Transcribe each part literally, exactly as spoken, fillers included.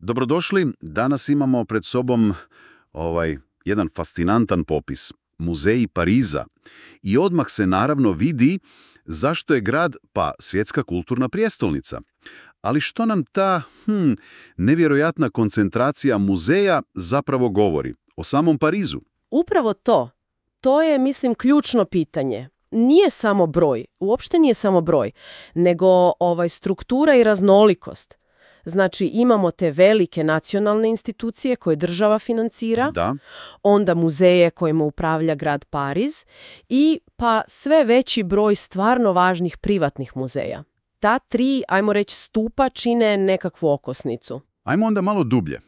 Dobrodošli. Danas imamo pred sobom ovaj jedan fascinantan popis. Muzeji Pariza. I odmah se naravno vidi zašto je grad, pa svjetska kulturna prijestolnica. Ali što nam ta hm, nevjerojatna koncentracija muzeja zapravo govori o samom Parizu? Upravo to. To je, mislim, ključno pitanje. Nije samo broj, uopšte nije samo broj, nego ovaj struktura i raznolikost. Znači, imamo te velike nacionalne institucije koje država financira, Da. onda muzeje kojima upravlja grad Pariz i pa sve veći broj stvarno važnih privatnih muzeja. Ta tri, ajmo reći, stupa čine nekakvu okosnicu. Ajmo onda malo dublje.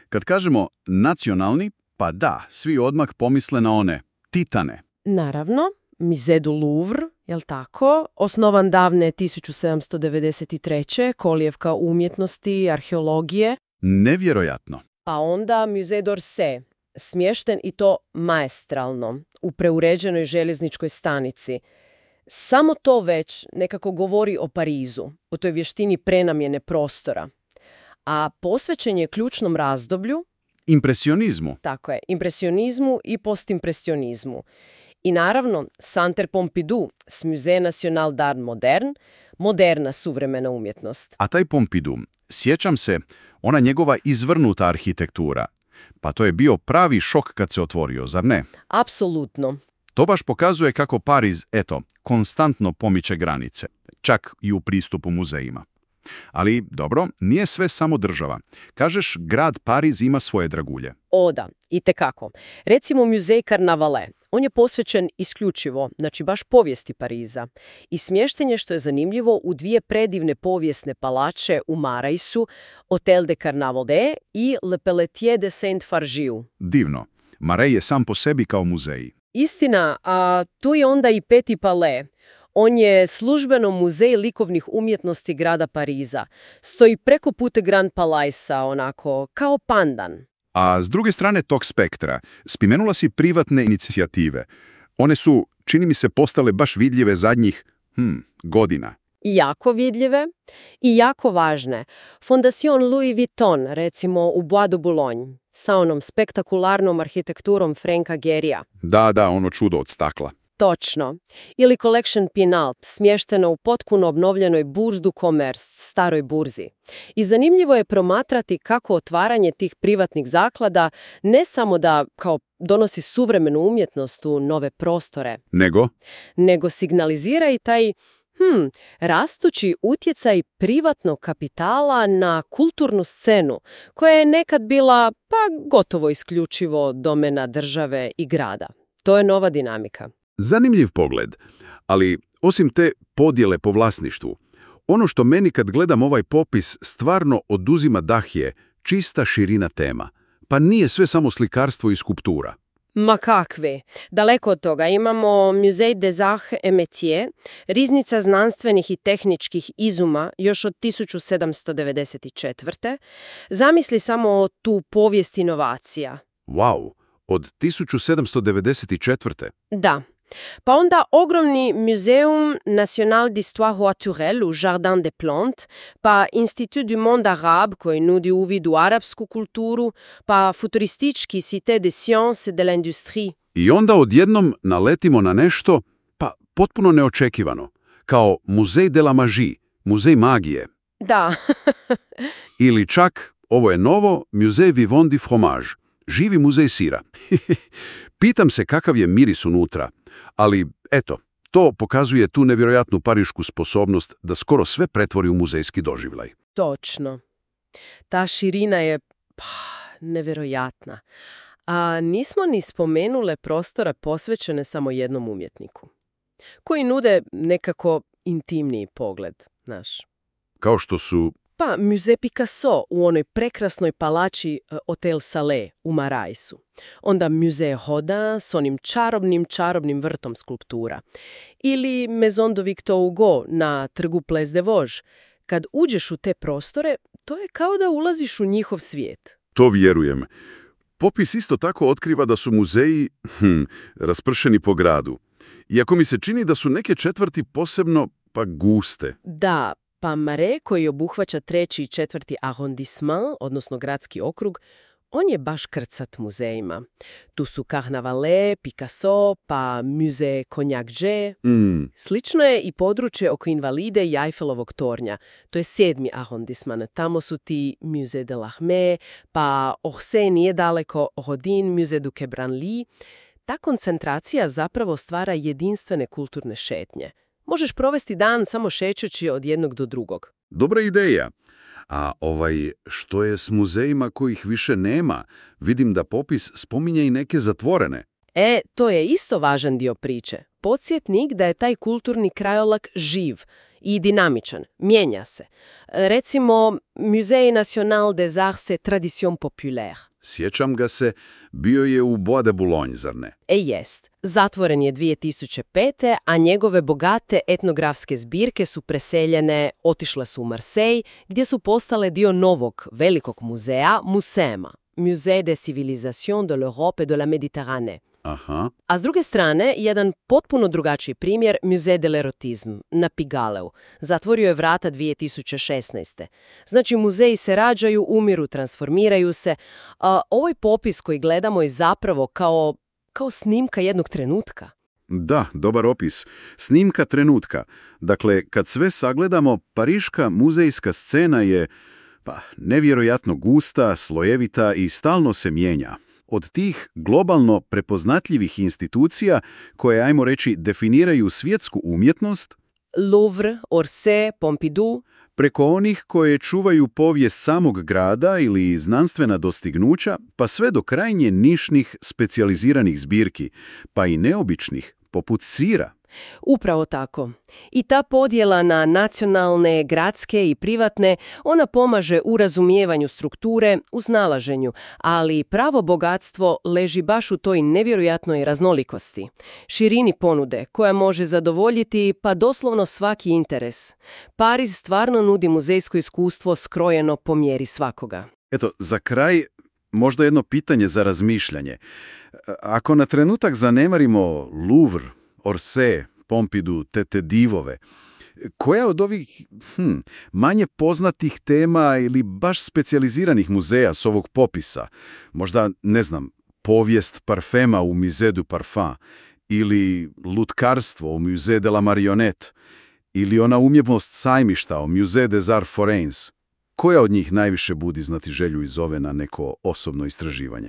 Kad kažemo nacionalni, pa da, svi odmah pomisle na one titane. Naravno, Musée du Louvre, jel tako, osnovan davne tisuću sedamsto devedeset treće kolijevka umjetnosti i arheologije. Nevjerojatno. Pa onda Musée d'Orsay, smješten i to maestralno, u preuređenoj željezničkoj stanici. Samo to već nekako govori o Parizu, o toj vještini prenamjene prostora. A posvećen je ključnom razdoblju, Impresionizmu. tako je, impresionizmu i postimpresionizmu. I naravno, Centre Pompidou s Musée National d'Art Moderne, moderna suvremena umjetnost. A taj Pompidou, sjećam se, ona njegova izvrnuta arhitektura. Pa to je bio pravi šok kad se otvorio, zar ne? Apsolutno. To baš pokazuje kako Pariz, eto, konstantno pomiče granice, čak i u pristupu muzejima. Ali, dobro, nije sve samo država. Kažeš, grad Pariz ima svoje dragulje. O da, itekako. Recimo Musée Carnavalet. On je posvećen isključivo, znači baš povijesti Pariza. I smješten je, što je zanimljivo, u dvije predivne povijesne palače u Maraisu, Hotel de Carnavalet i Le Pelletier de Saint-Fargiu. Divno. Marais je sam po sebi kao muzej. Istina, a tu je onda i Petit Palais. On je službeno muzej likovnih umjetnosti grada Pariza. Stoji preko puta Grand Palaisa, onako, kao pandan. A s druge strane tog spektra, spomenula si privatne inicijative. One su, čini mi se, postale baš vidljive zadnjih hm, godina. I jako vidljive i jako važne. Fondation Louis Vuitton, recimo u Bois de Boulogne, sa onom spektakularnom arhitekturom Franka Gehryja. Da, da, ono čudo od stakla. Točno. Ili Collection Pinalt, smješteno u potpuno obnovljenoj Bourse du Commerce, staroj burzi. I zanimljivo je promatrati kako otvaranje tih privatnih zaklada ne samo da kao donosi suvremenu umjetnost u nove prostore, Nego? nego signalizira i taj hm, rastući utjecaj privatnog kapitala na kulturnu scenu, koja je nekad bila pa gotovo isključivo domena države i grada. To je nova dinamika. Zanimljiv pogled, ali osim te podjele po vlasništvu, ono što meni kad gledam ovaj popis stvarno oduzima dah je čista širina tema. Pa nije sve samo slikarstvo i skulptura. Ma kakve. Daleko od toga imamo Musée des Arts et Métiers, riznica znanstvenih i tehničkih izuma još od tisuću sedamsto devedeset četvrte. Zamisli samo tu povijest inovacija. Wow, od tisuću sedamsto devedeset četvrte. Da. Pa onda ogromni Muséum National d'Histoire Naturelle u Jardin des Plantes, pa Institut du Monde Arabe koji nudi uvid u arapsku kulturu, pa futuristički Cité des Sciences et de l'Industrie. I onda odjednom naletimo na nešto, pa potpuno neočekivano, kao Musée de la Magie, muzej magije. Da. Ili čak, ovo je novo, Musée Vivant du Fromage, živi muzej sira. Pitam se kakav je miris unutra, ali eto, to pokazuje tu nevjerojatnu parišku sposobnost da skoro sve pretvori u muzejski doživljaj. Točno. Ta širina je pa, nevjerojatna. A nismo ni spomenule prostore posvećene samo jednom umjetniku, koji nude nekako intimniji pogled, znaš. Kao što su... Pa Musée Picasso u onoj prekrasnoj palači Hotel Salé u Maraisu. Onda Musée Rodin s onim čarobnim, čarobnim vrtom skulptura. Ili Maison de Victor Hugo na trgu Place des Vosges. Kad uđeš u te prostore, to je kao da ulaziš u njihov svijet. To vjerujem. Popis isto tako otkriva da su muzeji hm, raspršeni po gradu. Iako mi se čini da su neke četvrti posebno pa guste. Da, Pa Marais, koji obuhvaća treći i četvrti arrondissement, odnosno gradski okrug, on je baš krcat muzejima. Tu su Carnavalet, Picasso, pa Musée Cognac-G. Mm. Slično je i područje oko Invalide i Eiffelovog tornja. To je sedmi arrondissement. Tamo su ti Musée de l'Armée, pa Orsay nije daleko, Rodin, Musée du Quai Branly. Ta koncentracija zapravo stvara jedinstvene kulturne šetnje. Možeš provesti dan samo šećući od jednog do drugog. Dobra ideja. A ovaj, što je s muzejima kojih više nema? Vidim da popis spominje i neke zatvorene. E, to je isto važan dio priče. Podsjetnik da je taj kulturni krajolak živ i dinamičan, mijenja se. Recimo, Musée National des Arts et Traditions Populaires. Sjećam ga se, bio je u Bois de Boulogne, zar ne? E jest. Zatvoren je dvije tisuće pete. a njegove bogate etnografske zbirke su preseljene, otišle su u Marseille, gdje su postale dio novog, velikog muzeja, Musema, Musée des Civilisations de l'Europe et de la Méditerranée. Aha. A s druge strane, jedan potpuno drugačiji primjer, Musée de l'Erotisme na Pigaleu. Zatvorio je vrata dvije tisuće šesnaeste. Znači, muzeji se rađaju, umiru, transformiraju se. A ovaj popis koji gledamo je zapravo kao, kao snimka jednog trenutka. Da, dobar opis. Snimka trenutka. Dakle, kad sve sagledamo, pariška muzejska scena je, pa, nevjerojatno gusta, slojevita i stalno se mijenja. Od tih globalno prepoznatljivih institucija koje, ajmo reći, definiraju svjetsku umjetnost, Louvre, Orsay, Pompidou, preko onih koje čuvaju povijest samog grada ili znanstvena dostignuća, pa sve do krajnje nišnih specijaliziranih zbirki, pa i neobičnih, poput sira. Upravo tako. I ta podjela na nacionalne, gradske i privatne, ona pomaže u razumijevanju strukture, u snalaženju, ali pravo bogatstvo leži baš u toj nevjerojatnoj raznolikosti. Širini ponude, koja može zadovoljiti pa doslovno svaki interes. Pariz stvarno nudi muzejsko iskustvo skrojeno po mjeri svakoga. Eto, za kraj možda jedno pitanje za razmišljanje. Ako na trenutak zanemarimo Louvre, Orsay, Pompidou, te te divove, koja od ovih hm, manje poznatih tema ili baš specijaliziranih muzeja s ovog popisa, možda, ne znam, povijest parfema u Musée du Parfum, ili lutkarstvo u Musée de la Marionnette, ili ona umjetnost sajmišta u Musée des Arts Forains, koja od njih najviše budi znatiželju i zove na neko osobno istraživanje?